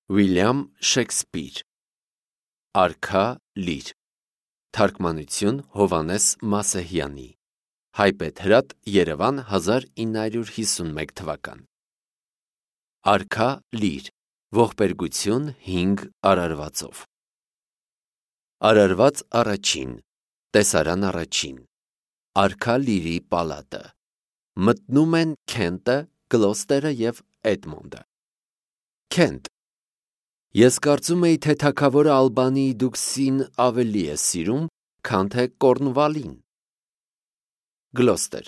Վիլյամ Շեքսպիր Արքա լիր Թարգմանություն Հովհաննես Մասեհյանի Հայբեթրատ Երևան 1951 թվական Արքա լիր Ողբերգություն 5 արարվածով Արարված առաջին Տեսարան առաջին Արքա լիրի պալատը Մտնում են Քենտը, Գլոստերը և Էդմոնդը Քենտ Ես կարծում էի, թե թագավորը Ալբանիի դուքսին ավելի է սիրում, քան թե Կորնվալին։ Գլոստեր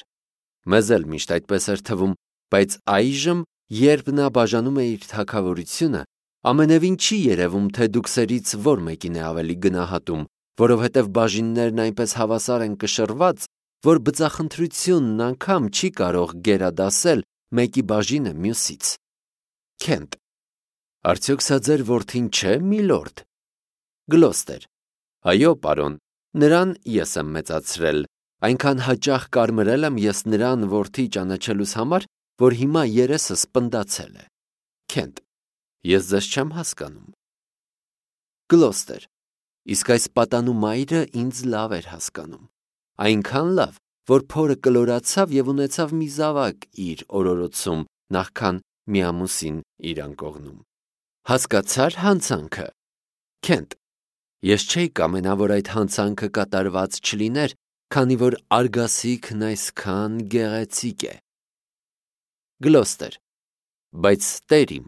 Մեզ էլ միշտ այդպես էր թվում, բայց այժմ, երբ նա բաժանում է իր թագավորությունը, ամենևին չի երևում, թե դուքսերից որ մեկին է ավելի գնահատում, որովհետև բաժիններն այնպես հավասար են կշռված, որ բծախնդրությունն անգամ չի կարող գերադասել մեկի բաժինը մյուսից։ Քենտ Արդյոք սա ձեր որդին չէ, միլորդ։ Գլոստեր Այո, պարոն, նրան ես եմ մեծացրել, այնքան հաճախ կարմրել եմ ես նրան որդի ճանաչելուս համար, որ հիմա երեսս պնդացել է։ Քենտ Ես ձեզ չեմ հասկանում։ Գլոստեր Իսկ այս պատանու մայրը ինձ լավ էր հասկանում, այնքան լավ, որ փորը կլորացավ և ունեցավ մի զավակ իր օրորոցում, նախքան մի ամուսին իր անկողնում։ Հասկացա՞ր հանցանքը։ Քենտ Ես չէի կամենա, որ այդ հանցանքը կատարված չլիներ, քանի որ արգասիքն այսքան գեղեցիկ է։ Գլոստեր Բայց տեր իմ,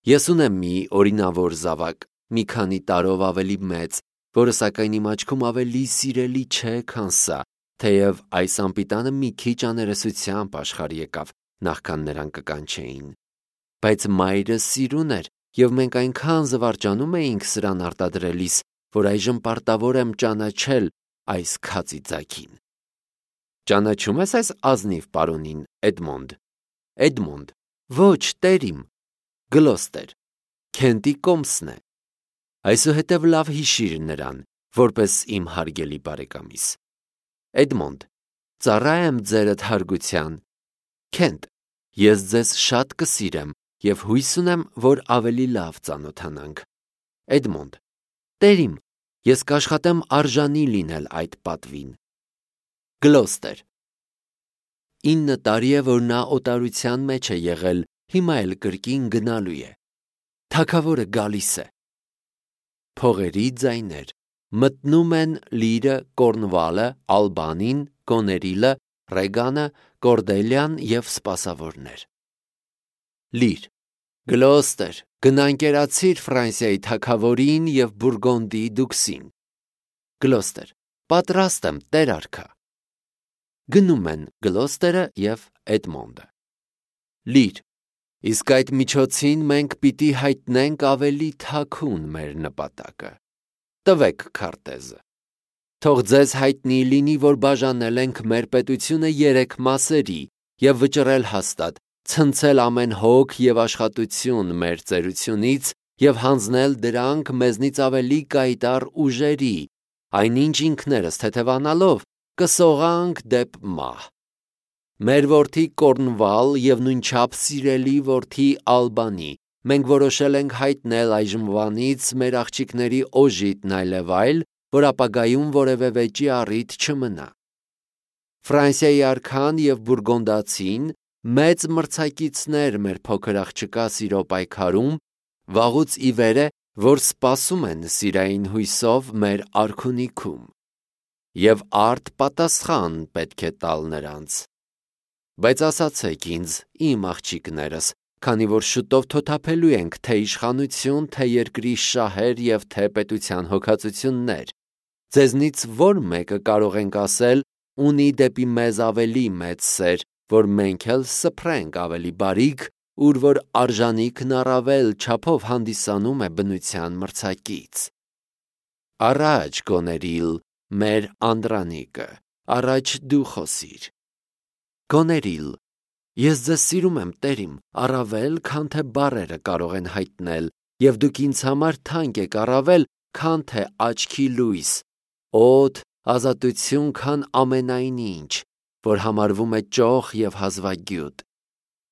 ես ունեմ մի օրինավոր զավակ, մի քանի տարով ավելի մեծ, որը սակայն իմ աչքում ավելի սիրելի չէ, քան սա, թեև այս անպիտանը մի քիչ աներեսությամբ աշխարհ եկավ, նախքան նրան կկանչեին։ Բայց մայրը սիրուն էր, և մենք այնքան զվարճանում էինք սրան արտադրելիս, որ այժմ պարտավոր եմ ճանաչել այս քացի ձագին։ Ճանաչում ես այս ազնիվ պարոնին, Էդմոնդ։ Էդմոնդ Ոչ, տեր իմ։ Գլոստեր Քենտի կոմսն է։ Այսուհետև լավ հիշիր նրան, որպես իմ հարգելի բարեկամիս։ Էդմոնդ Ծառա եմ ձերդ հարգության։ Քենտ Ես ձեզ շատ կսիրեմ և հույս ունեմ, որ ավելի լավ ծանոթանանք։ Էդմոնդ Տեր իմ, ես կաշխատեմ արժանի լինել այդ պատվին։ Գլոստեր 9 տարի է, որ նա օտարության մեջ է եղել, հիմա էլ կրկին գնալու է։ Թագավորը գալիս է։ Փողերի ձայներ Մտնում են Լիրը, Կորնվալը, Ալբանին, Գոներիլը, Ռեգանը, Կորդելյան և սպասավորներ։ Լիր Գլոստեր, գնանկերացիր Ֆրանսիայի թագավորին և Բուրգոնդիի դուքսին։ Գլոստեր Պատրաստ եմ, տեր արքա։ Գնում են Գլոստերը և Էդմոնդը։ Լիր Իսկ այդ միջոցին մենք պիտի հայտնենք ավելի թաքուն մեր նպատակը։ Տվեք քարտեզը։ Թող ձեզ հայտնի լինի, որ բաժանել ենք մեր պետությունը 3 մասերի և վճռել հաստատ, ցնցել ամեն հոգ և աշխատություն մեր ծերությունից և հանձնել դրանք մեզնից ավելի կայտառ ուժերի, այնինչ ինքներս թեթևանալով կսողանք դեպ մահ։ Մեր որդի Կորնվալ և նույնչափ սիրելի որդի Ալբանի մենք որոշել ենք հայտնել այժմվանից մեր աղջիկների օժիտն այլևայլ, որ ապագայում որևէ վեճի առիթ չմնա։ Ֆրանսիայի արքան և բուրգոնդացին մեծ մրցակիցներ մեր փոքր աղջկա սիրո պայքարում, վաղուց ի վեր է, որ սպասում են սիրային հույսով մեր արքունիքում։ Եվ արդ պատասխան պետք է տալ նրանց։ Բայց ասացեք ինձ, իմ աղջիկներս, քանի որ շուտով թոթափելու ենք թե իշխանություն, թե երկրի շահեր և թե պետության հոգածություններ, ձեզնից որ մեկը կարող ենք ասել, ունի դեպի մեզ ավելի մեծ սեր, որ մենք էլ սփռենք ավելի բարիք, ուր որ արժանիքն առավել չափով հանդիսանում է բնության մրցակից։ Առաջ Գոներիլ, մեր Անդրանիկը, առաջ դու խոսիր։ Գոներիլ Ես ձեզ սիրում եմ, տեր իմ, առավել, քան թե բառերը կարող են հայտնել, և դուք ինձ համար թանկ եք առավել, քան թե աչքի լույս, օդ, ազատություն, քան ամենայն ինչ, որ համարվում է ճոխ և հազվագյուտ։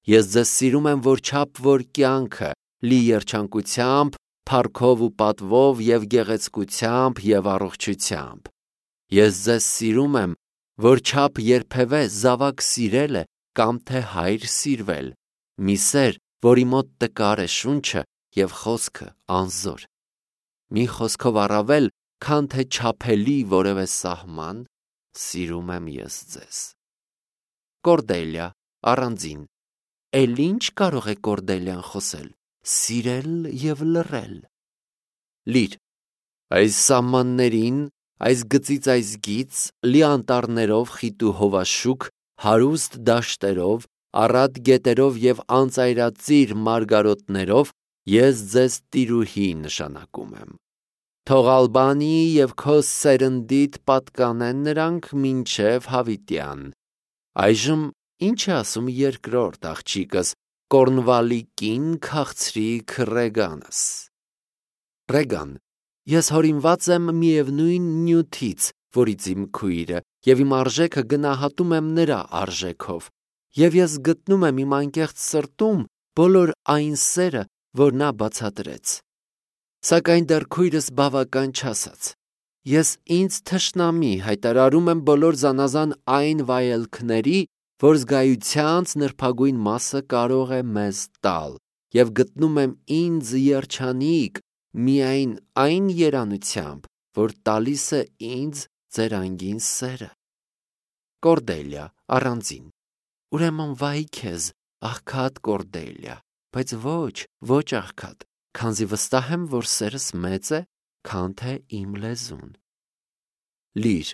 Ես ձեզ սիրում եմ, որչափ որ կյանքը, լի երջանկությամբ, փառքով ու պատվով և գեղեցկությամբ և առողջությամբ։ Ես ձեզ սիրում եմ, որչափ երբևէ զավակ սիրել է կամ թե հայր սիրվել, մի սեր, որի մոտ տկար է շունչը և խոսքը անզոր։ Մի խոսքով առավել, քան թե չափելի որևէ սահման, սիրում եմ ես ձեզ։ Կորդելիա, առանձին։ Էլ ինչ կարող է Կորդելիան խոսել, սիրել և լռել։ Լիր, այս սահմաններին, այս գծից այս գիծ, լի անտառներով խիտ ու հովաշուք, հարուստ դաշտերով, առատ գետերով և անծայրածիր մարգարոտներով ես ձեզ տիրուհի նշանակում եմ։ Թող Ալբանիի և քո սերնդիդ պատկանեն նրանք մինչև հավիտյան։ Այժմ ինչ է ասում երկրորդ աղջիկս, Կորնվալի կին քաղցրիկ Ռեգանս։ Ռեգան, ես հորինված եմ միևնույն նյութից, որից իմ քույրը, և իմ արժեքը գնահատում եմ նրա արժեքով, և ես գտնում եմ իմ անկեղծ սրտում բոլոր այն սերը, որ նա բացատրեց։ Սակայն դեռ քույրս բավական չասաց։ Ես ինձ թշնամի հայտարարում եմ բոլոր զանազան այն վայելքների, որ զգայությանց նրբագույն մասը կարող է մեզ տալ, և գտնում եմ ինձ երջանիկ միայն այն երանությամբ, որ տալիս է ինձ ձեր անգին սերը։ Կորդելիա, առանձին։ Ուրեմն վայ քեզ, աղքատ Կորդելիա, բայց ոչ աղքատ, քանզի վստահ եմ, որ սերս մեծ է, քան թե իմ լեզուն։ Լիր,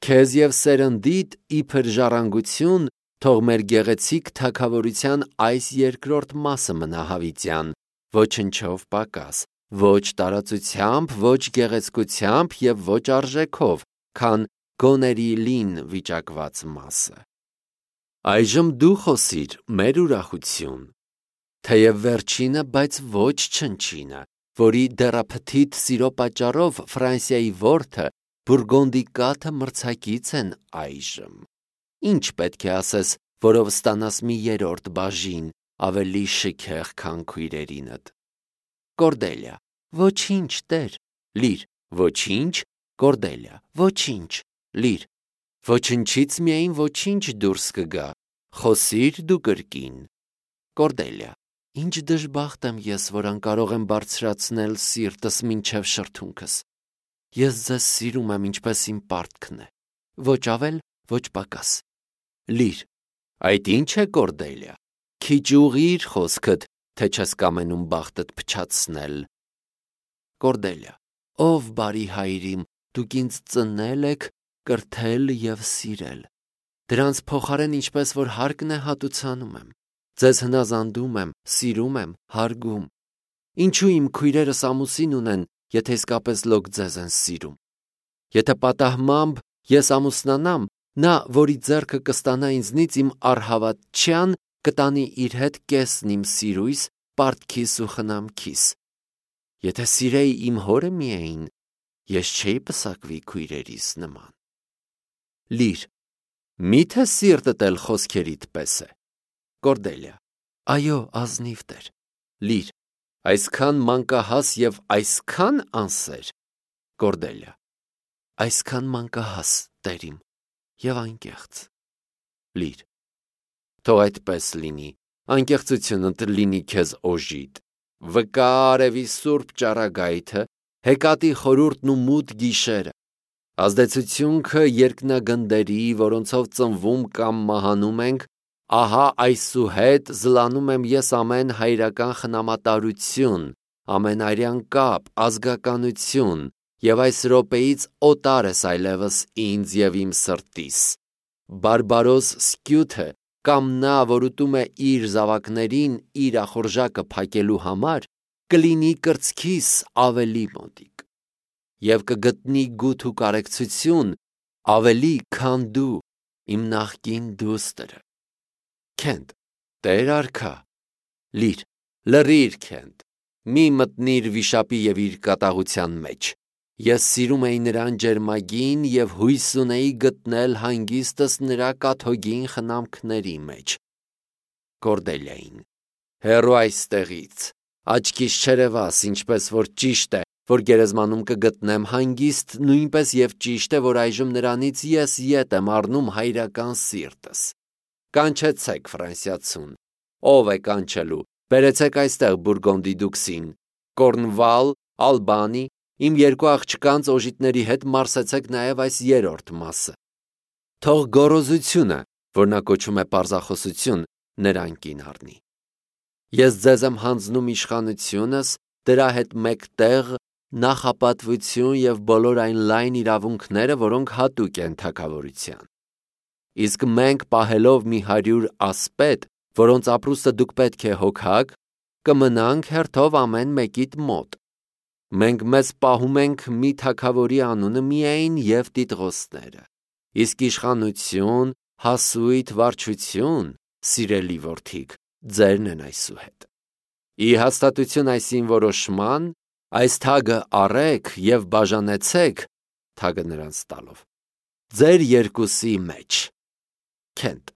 քեզ և սերնդիդ իբր ժառանգություն, թող մեր գեղեցիկ թագավորության այս երկրորդ մասը մնա հավիտյան, ոչնչով պակաս, ոչ տարածությամբ, ոչ գեղեցկությամբ և ոչ արժեքով, քան գոների լին վիճակված մասը։ Այժմ դու խոսիր մեր ուրախություն։ Թեև վերջինը, բայց ոչ չնչինը, որի դեռափթիթ սիրո պատճառով Ֆրանսիայի որդը, Բուրգոնդի կաթը մրցակից են այժմ։ Ինչ պետք է ասես, որով ստանաս մի երրորդ բաժին, ավելի շքեղ, քան քույրերինդ։ Կորդելիա, ոչինչ, տեր։ Լիր, ոչինչ, Կորդելիա, ոչինչ, լիր։ Ոչնչից միայն ոչինչ դուրս կգա, խոսիր դու կրկին։ Կորդելիա, ինչ դժբախտ եմ ես, որ անկարող եմ բարձրացնել սիրտս մինչև շրթունքս։ Ես ձեզ սիրում եմ, ինչպես իմ պարտքն է, ոչ ավել, ոչ պակաս։ Լիր, այդ ինչ է Կորդելիա, քիչ ուղղիր խոսքդ, թե չես կամենում բախտդ փչացնել։ Կորդելիա, ով բարի հայր իմ, դուք ինձ ծնել եք, կրթել և սիրել։ Դրանց փոխարեն ինչպես որ հարկն է հատուցանում եմ։ Ձեզ հնազանդում եմ, սիրում եմ, հարգում։ Ինչու իմ քույրերս ամուսին ունեն, եթե իսկապես լոկ ձեզ են սիրում։ Եթե պատահմամբ ես ամուսնանամ, նա, որի ձեռքը կստանա ինձնից իմ առհավատչյան, կտանի իր հետ կեսն իմ սիրույս, պարտքիս ու խնամքիս։ Եթե սիրեի իմ հորը միայն, ես չէի պսակվի քույրերիս նման։ Լիր, միթե սիրտդ էլ խոսքերիդ պես է։ Կորդելիա, այո, ազնիվ տեր։ Լիր, այսքան մանկահաս և այսքան անսեր։ Կորդելիա, այսքան մանկահաս, տեր իմ, և անկեղծ։ Լիր, թող այդպես լինի, անկեղծությունդ լինի քեզ օժիտ։ Վկա արևի սուրբ ճառագայթը, հեկատի խորհուրդն ու մութ գիշերը, ազդեցությունքը երկնագնդերի, որոնցով ծնվում կամ մահանում ենք, ահա այսուհետ զլանում եմ ես ամեն հայրական խնամատարություն, ամեն արյան կապ, ազգականություն, և այս րոպեից օտար ես այլևս ինձ և իմ սրտիս։ Բարբարոս Սկյութը կամ նա, որ ուտում է իր զավակներին իր ախորժակը փակելու համար, կլինի կրծքիս ավելի մոտիկ և կգտնի գութ ու կարեկցություն ավելի, քան դու, իմ նախկին դուստրը։ Քենթ, տեր արքա։ Լիր, լռիր Քենթ, մի մտնիր վիշապի և իր կատաղության մեջ։ Ես սիրում էի նրան ջերմագին և հույս ունեի գտնել հանգիստս նրա կաթոգին խնամքների մեջ։ Կորդելիային, հեռու այստեղից, Աչքիս չերևաս, ինչպես որ ճիշտ է, որ գերեզմանում կգտնեմ հանգիստ, նույնպես եւ ճիշտ է, որ այժմ նրանից ես ետ եմ առնում հայրական սիրտս։ Կանչեցեք ֆրանսիացուն, ով է կանչելու, բերեցեք այստեղ Բուրգոնդի դուքսին, Կորնվալ, Ալբանի, իմ երկու աղջկանց օժիտների հետ մարսեցեք նաեւ այս երրորդ մասը։ Թող գոռոզությունը, որ նա կոչում է պարզախոսություն, նրան կին առնի։ Ես ձեզ եմ հանձնում իշխանությունս, դրա հետ մեկտեղ նախապատվություն եւ բոլոր այն լայն իրավունքները, որոնք հատուկ են թագավորության։ Իսկ մենք պահելով մի 100 ասպետ, որոնց ապրուստը դուք պետք է հոգաք, կմնանք հերթով ամեն մեկիդ մոտ։ Մենք մեզ պահում ենք մի թագավորի անունը միայն եւ տիտղոսները։ Իսկ իշխանություն, հասույթ, վարչություն, սիրելի որդիկ, ձերն են այսուհետ։ Ի հաստատություն այսին որոշման, այս թագը առեք եւ բաժանեցեք, թագը նրանց տալով, ձեր երկուսի մեջ։ Քենտ,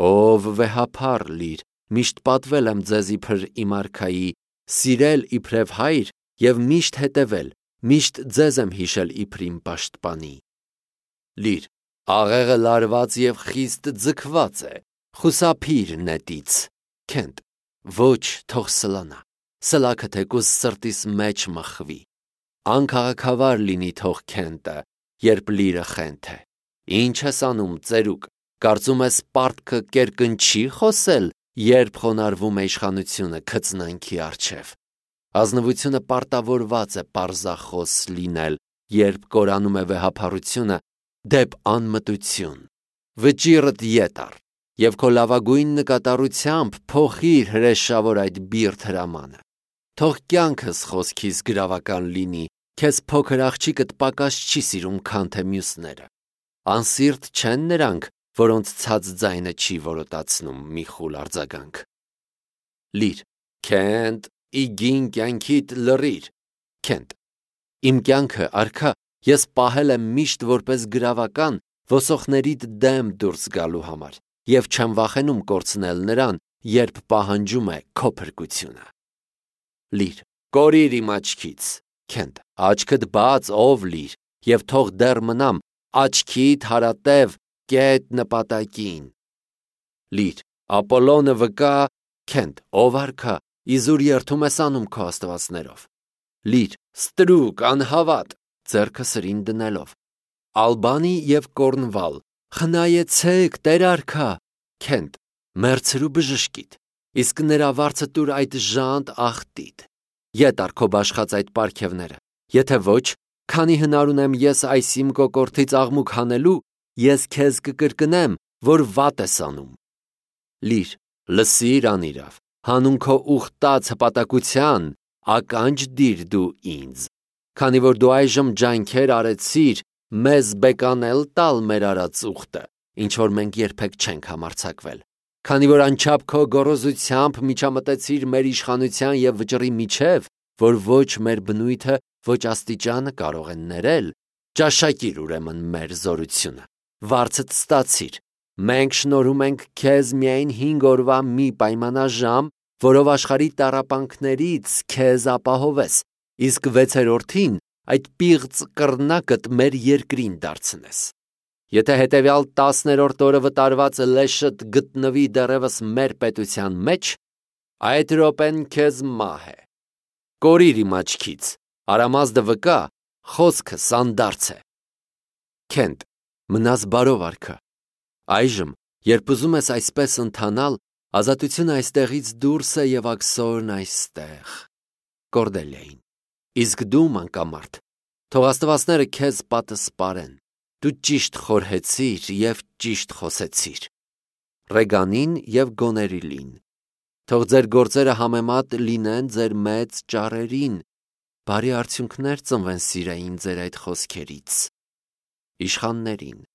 ով վեհափառ լիր, միշտ պատվել եմ ձեզ իբր իմ արքայի, սիրել իբրև հայր եւ միշտ հետևել, միշտ ձեզ եմ հիշել իբր իմ պաշտպանի։ Լիր, աղեղը լարված եւ խիստ ձգված է, խուսափիր նետից։ Քենտ, ոչ, թող սլանա, սլաքը թեկուզ սրտիս մեջ մխվի։ Անքաղաքավար լինի թող Քենտը, երբ լիրը խենթ է։ Ինչ ես անում, ծերուկ, կարծում ես պարտքը կերկնչի խոսել, երբ խոնարհվում է իշխանությունը քծնանքի առջև։ Ազնվությունը պարտավորված է պարզախոս լինել, երբ կորանում է վեհափառությունը դեպ անմտություն։ Վճիռդ ետ առ եւ քո լավագույն նկատառությամբ փոխիր հրեշավոր այդ բիրտ հրամանը։ Թող կյանքս խոսքիս գրավական լինի, քեզ փոքր աղջիկդ պակաս չի սիրում, քան թե մյուսները։ Անսիրտ չեն նրանք, որոնց ցած ձայնը չի որոտացնում մի խուլ արձագանք։ Լիր, Քենտ, իգին կյանքիդ լռիր։ Քենտ, իմ կյանքը արքա, ես պահել եմ միշտ որպես գրավական ոսոխներիդ դեմ դուրս գալու համար եւ չեմ վախենում կորցնել նրան, երբ պահանջում է քո փրկությունը։ Լիր, կորիր իմ աչքից։ Քենտ, աչքդ բաց, ով լիր, եւ թող դեռ մնամ աչքիդ հարատև կետ նպատակին։ Լիր, Ապոլոնը վկա, Քենտ, ով արքա, իզուր երթում ես անում քո աստվածներով։ Լիր, ստրուկ, անհավատ, ձեռքը սրին դնելով։ Ալբանի եւ Կորնվալ, խնայեցեք, Տեր արքա։ Քենտ, մերցրու բժշկիդ, իսկ նրա վարձը տուր այդ ժանտ ախտիդ։ Ետ առ քո բաշխած այդ պարգևները, եթե ոչ, քանի հնար ունեմ ես այս իմ կոկորդից աղմուկ հանելու, ես քեզ կկրկնեմ, որ վատ ես անում։ Լիր, լսիր անիրավ, հանուն քո ուխտած հպատակության, ականջ դիր դու ինձ, քանի որ դու այժմ ջանքեր արեցիր մեզ բեկանել տալ մեր արած ուխտը, ինչ որ մենք երբեք չենք համարձակվել, քանի որ անչափ քո գոռոզությամբ միջամտեցիր մեր իշխանության եւ վճռի միջև, որ ոչ մեր բնույթը, ոչ աստիճանը կարող են ներել, ճաշակիր ուրեմն մեր զորությունը, վարձդ ստացիր, մենք շնորհում ենք քեզ միայն 5 օրվա մի պայմանաժամ, որով աշխարհի տառապանքներից քեզ ապահովես, իսկ 6-րդին այդ պիղծ կռնակդ մեր երկրին դարձնես։ Եթե հետևյալ 10-րդ օրը վտարված լեշդ գտնվի դեռևս մեր պետության մեջ, այդ րոպեն քեզ մահ է։ Կորիր իմ աչքից, Արամազդը վկա, խոսքը սանդարձ է։ Քենտ, մնաս բարով արքա։ Այժմ, երբ ուզում ես այսպես ընթանալ, ազատությունը այստեղից դուրս է եւ աքսորն այստեղ։ Կորդելիային, իսկ դու մանկամարդ, թող աստվածները քեզ պատսպարեն։ Դու ճիշտ խորհեցիր եւ ճիշտ խոսեցիր։ Ռեգանին եւ Գոներիլին, թող ձեր գործերը համեմատ լինեն ձեր մեծ ճառերին, բարի արդյունքներ ծնվեն սիրային ձեր այդ խոսքերից։ Իշխաններին,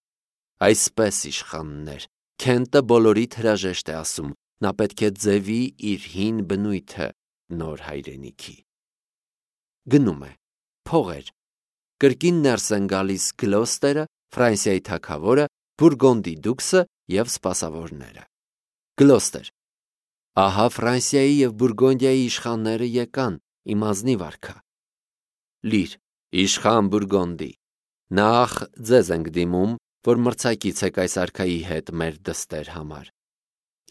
այսպես իշխաններ, Քենտը բոլորիդ հրաժեշտ է ասում, նա պետք է ձևի իր հին բնույթը նոր հայրենիքի։ Գնում է, փողեր, կրկին ներս են գալիս Գլոստերը, Ֆրանսիայի թագավորը, Բուրգոնդի դուքսը եւ սպասավորները։ Գլոստեր, Ահա Ֆրանսիայի և Բուրգոնդիայի իշխանները եկան, իմ ազնիվ արքա։ Լիր, իշխան Բուրգոնդի, նախ ձեզ ենք դիմում, որ մրցակիցեք այս արքայի հետ մեր դստեր համար։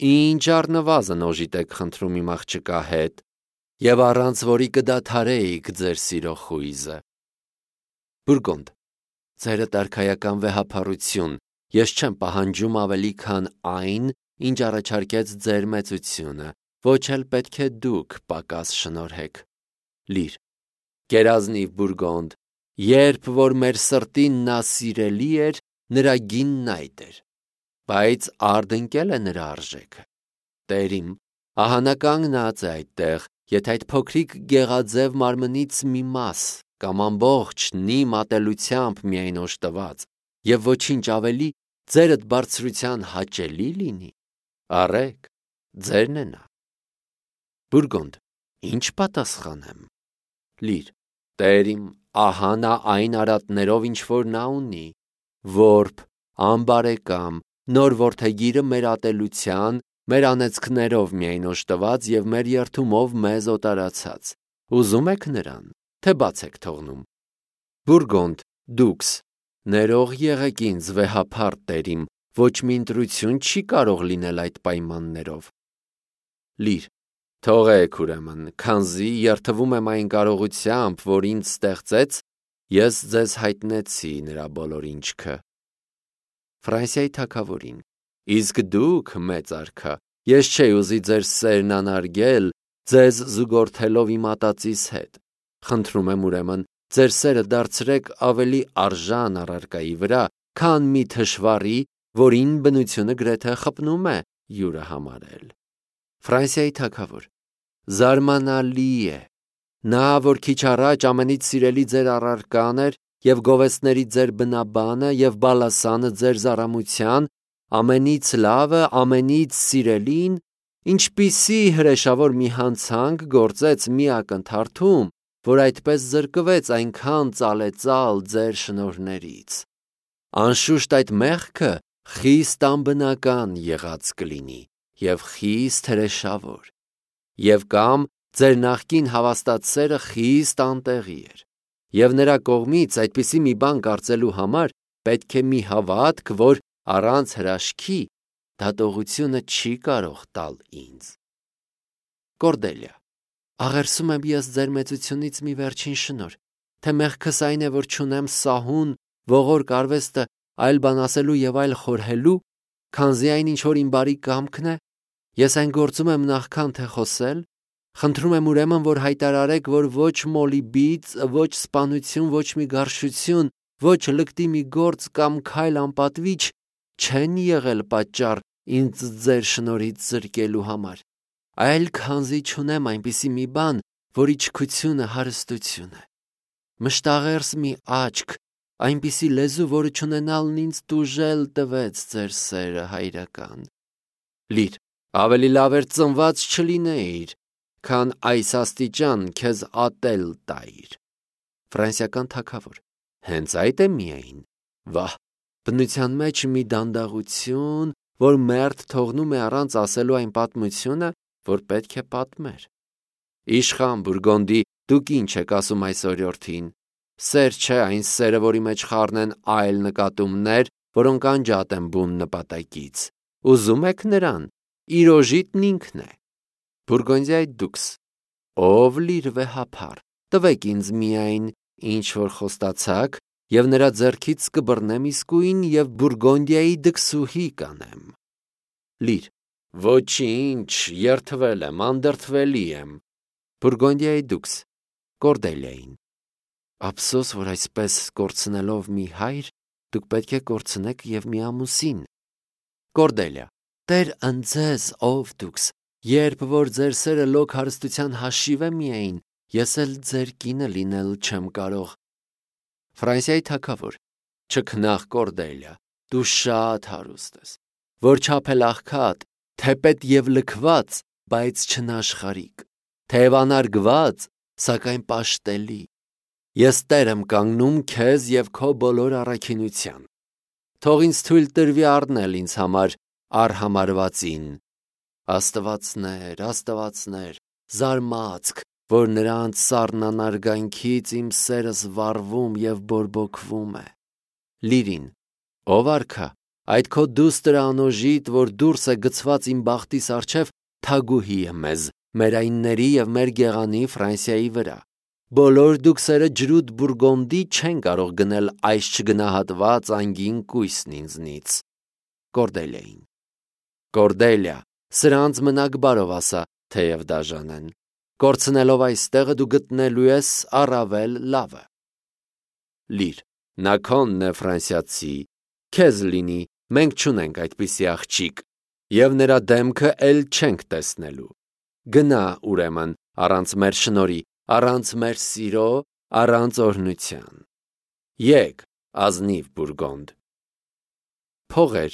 Ինչ առնվազն օժիտ եք խնդրում իմ աղջկա հետ, և առանց որի կդադարեիք ձեր սիրո խույզը։ Բուրգոնդ, ձերդ արքայական վեհափառություն, ես չեմ պահանջում ավելի, քան այն, ինչ առաջարկեց ձեր մեծությունը, ոչ էլ պետք է դուք պակաս շնորհեք։ Լիր, գերազնիվ Բուրգոնդ, երբ որ մեր սրտին նա սիրելի էր, նրա գինն այդ էր, բայց արդ ընկել է նրա արժեքը։ Տերիմ, ահա նա կանգնած է այդտեղ, եթե այդ փոքրիկ գեղաձև մարմնից մի մաս կամ ամբողջնի մատելությամբ միայն օժտված և ոչինչ ավելի ձերդ բարձրության հաճելի լինի, առեք, ձերն է նա։ Բուրգոնդ, ինչ պատասխանեմ։ Լիր, տերիմ, ահա նա այն արատներով, ինչ որ նա ունի, որբ, անբարեկամ, նոր որդեգիրը մեր ատելության, մեր անեծքներով միայն օժտված և մեր երդումով մեզ օտարացած, ուզում եք նրան, թե բաց եք թողնում։ Բուրգոնդ, դուքս, ներող եղեք ինձ վեհափառ տերիմ, ոչ մի ընտրություն չի կարող լինել այդ պայմաններով։ Լիր, թողեք ուրեմն, քանզի երդվում եմ այն կարողությամբ, որ ինձ ստեղծեց, ես ձեզ հայտնեցի նրա բոլոր ինչքը։ Ֆրանսիայի թագավորին, իսկ դուք, մեծ արքա, ես չէի ուզի ձեր սերն անարգել, ձեզ զուգորդելով իմ ատածիս հետ։ Խնդրում եմ ուրեմն, ձեր սերը դարձրեք ավելի արժան առարկայի վրա, քան մի թշվառի, որին բնությունը գրեթե խփնում է յուրը համարել։ Ֆրանսիայի թագավոր, զարմանալի է, նա, որ քիչ առաջ ամենից սիրելի ձեր առարկան էր և գովեստների ձեր բնաբանը և բալասանը ձեր զարամության, ամենից լավը, ամենից սիրելին, ինչպիսի հրեշավոր մի հանցանք գործեց մի ակնթարթում, որ այդպես զրկվեց այնքան ծալեծալ ձեր շնորհներից։ Անշուշտ այդ մեղքը խիստ անբնական եղած կլինի և խիստ հրեշավոր, և կամ ձեր նախկին հավաստած սերը խիստ անտեղի էր, և նրա կողմից այդպիսի մի բան կարծելու համար պետք է մի հավատք, որ առանց հրաշքի դատողությունը չի կարող տալ ինձ։ Կորդելիա, աղերսում եմ ես ձեր մեծությունից մի վերջին շնորհ, թե մեղքս այն է, որ չունեմ սահուն, ողորկ արվեստը այլ բան ասելու և այլ խորհելու, քանզի այն, ինչ որ իմ բարի կամքն է, ես այն գործում եմ նախքան թե խոսել, խնդրում եմ ուրեմն, որ հայտարարեք, որ ոչ մոլիբից, ոչ սպանություն, ոչ մի գարշություն, ոչ լկտի մի գործ կամ քայլ անպատվիչ չեն եղել պատճառ ինձ ձեր շնորհից զրկելու համար, այլ քանզի չունեմ այնպիսի մի բան, որի չքությունը հարստություն է։ Մշտաղերս մի աչք, այնպիսի լեզու, որը չունենալն ինձ տուժել տվեց ձեր սերը հայրական։ Լիր, ավելի լավ էր ծնված չլինեիր, քան այս աստիճան քեզ ատել տայր։ Ֆրանսիական թագավոր, հենց այդ է միայն, վահ, բնության մեջ մի դանդաղություն, որ մերթ թողնում է առանց ասելու այն պատմությունը, որ պետք է պատմեր։ Իշխան Բուրգոնդի, դուք ինչ եք ասում այս օրիորդին։ Սեր չէ այն սերը, որի մեջ խառնեն այլ նկատումներ, որոնք անջատ են բուն նպատակից։ Ուզում եք նրան, իր օժիտն ինքն է։ Բուրգոնդիայի դուքս, ով լիր վեհափառ, տվեք ինձ միայն, ինչ որ խոստացաք, և նրա ձեռքից կբռնեմ իսկույն և Բուրգոնդիայի դքսուհի կանեմ։ Լիր, ոչինչ, երդվել եմ, անդրդվելի եմ։ Բուրգոնդիայի դուքս, Կորդելիային, ափսոս, որ այսպես կորցնելով մի հայր, դուք պետք է կորցնեք և մի ամուսին։ Կորդելիա, Տեր ընձեզ, ով դուքս, երբ որ ձեր սերը լոկ հարստության հաշիվ է միայն, ես էլ ձեր կինը լինել չեմ կարող։ Ֆրանսիայի թագավոր, չքնաղ Կորդելիա, դու շատ հարուստ ես, որչափ էլ աղքատ, թեպետ և լքված, բայց չնաշխարհիկ, թեև անարգված, սակայն պաշտելի։ Ես տեր եմ կանգնում քեզ և քո բոլոր առաքինության։ Թող ինձ թույլ տրվի առնել ինձ համար արհամարվածին, Աստվածներ, զարմացք, որ նրանց սառնանարգանքից իմ սերս վառվում և բորբոքվում է։ Լիրին, ով արքա, այդ քո դուստր անոժիտ, որ դուրս է գցված իմ բախտիս առջև, թագուհի է մեզ, մեր այնների և մեր գեղանի Ֆրանսիայի վրա։ Բոլոր դուքսերը ջրուտ Բուրգոնդի չեն կարող գնել այս չգնահատված անգին կույսն ինձնից։ Կորդելիային, Կորդելիա, սրանց մնաք բարով ասա, թեև դաժան են։ Կորցնելով այս տեղը դու գտնելու ես առավել լավը։ Լիր, նա քոնն է Ֆրանսիացի, քեզ լինի, մենք չունենք այդպիսի աղջիկ, և նրա դեմքը էլ չենք տեսնելու։ Գնա, ուրեմն, առանց մեր շնորհի, առանց մեր սիրո, առանց օրհնության։ Եկ, ազնիվ Բուրգոնդ։ Փողեր,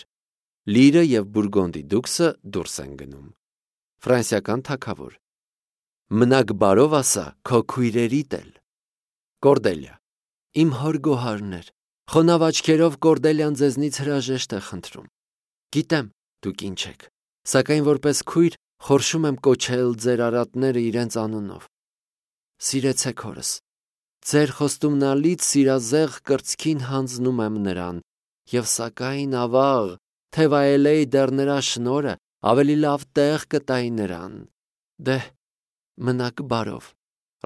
Լիրը և Բուրգոնդի դուքսը դուրս են գնում։ Ֆրանսիական թագավոր, մնաք բարով ասա քո քույրերիդ էլ։ Կորդելիա, իմ հոր գոհարներ, խոնավ աչքերով Կորդելիան ձեզնից հրաժեշտ է խնդրում։ Գիտեմ, դուք ինչ եք, սակայն որպես քույր խորշում եմ կոչել ձեր արատները իրենց անունով։ Սիրեցեք հորս։ Ձեր խոստումնալից սիրազեղ կրծքին հանձնում եմ նրան, և սակայն ավաղ, թե վայելեի դեռ նրա շնորհը, ավելի լավ տեղ կտայի նրան։ Դե, մնաք բարով։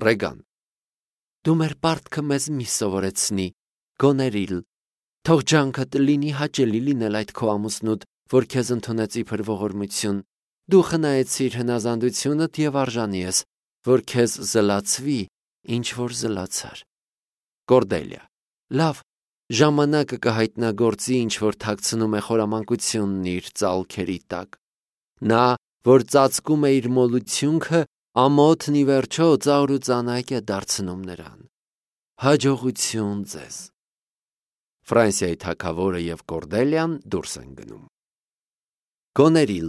Ռեգան, դու մեր պարտքը մեզ մի սովորեցնի, գոներիլ, թող ջանքդ լինի հաճելի լինել այդ քո ամուսնուդ, որ քեզ ընդունեց իբր ողորմություն։ Դու խնայեցիր հնազանդությունդ և արժանի ես, որ քեզ զլացվի, ինչ որ զլացար։ Կորդելիա, լավ, ժամանակը կհայտնագործի, ինչ որ թաքցնում է խորամանկությունն իր ծալքերի տակ։ Նա, որ ծածկում է իր մոլությունքը, ամոթն ի վերջո ծաղր ու ծանակ է դարձնում նրան։ Հաջողություն ձեզ։ Ֆրանսիայի թագավորը և Կորդելիան դուրս են գնում։ Գոներիլ,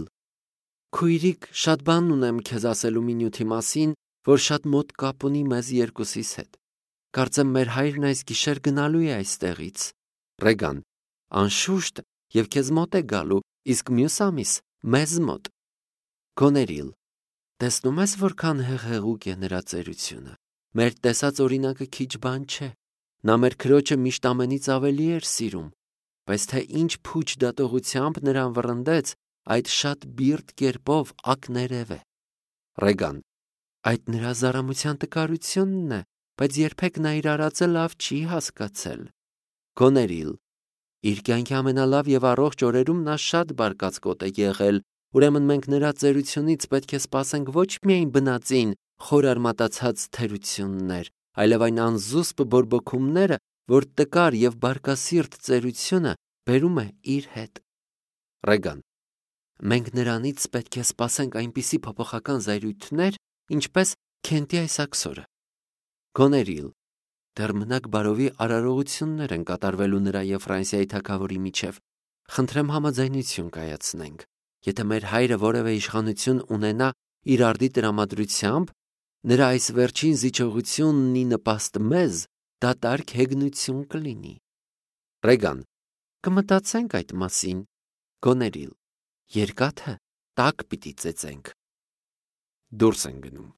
քույրիկ, շատ բան ունեմ քեզ ասելու մի նյութի մասին, որ շատ մոտ կապ ունի մեզ երկուսիս հետ։ Կարծեմ մեր հայրն այս գիշեր գնալու է այստեղից։ Ռեգան, անշուշտ, և քեզ մոտ է գալու, իսկ մյուս ամիս մեզ մոտ։ Գոներիլ, տեսնում ես որքան հեղեղուկ է նրա ծերությունը։ Մեր տեսած օրինակը քիչ բան չէ։ Նա մեր քրոջը միշտ ամենից ավելի էր սիրում, բայց թե ինչ փուչ դատողությամբ նրան վռնդեց, այդ շատ բիրտ կերպով ակներև է։ Ռեգան, այդ նրա զարամության տկարությունն է, բայց երբեք նա իր արածը լավ չի հասկացել։ Գոներիլ, իր կյանքի ամենալավ և առողջ օրերում նա շատ բարկացկոտ է եղել, ուրեմն մենք նրա ծերությունից պետք է սպասենք ոչ միայն բնածին խորարմատացած թերություններ, այլև այն անզուսպ բորբոքումները, որ տկար և բարկասիրտ ծերությունը բերում է իր հետ։ Ռեգան, մենք նրանից պետք է սպասենք այնպիսի փոփոխական զայրույթներ, ինչպես Քենտի այս աքսորը։ Գոներիլ, դեռ մնաք բարովի արարողություններ են կատարվելու նրա և Ֆրանսիայի թագավորի միջև։ Խնդրեմ համաձայնություն կայացնենք։ Եթե մեր հայրը որևէ իշխանություն ունենա իր արդի տրամադրությամբ, նրա այս վերջին զիջողությունն ի նպաստ մեզ դատարկ հեգնություն կլինի։ Ռեգան, կմտածենք այդ մասին։ Գոներիլ, երկաթը տաք պիտի ծեծենք։ Դուրս են գնում։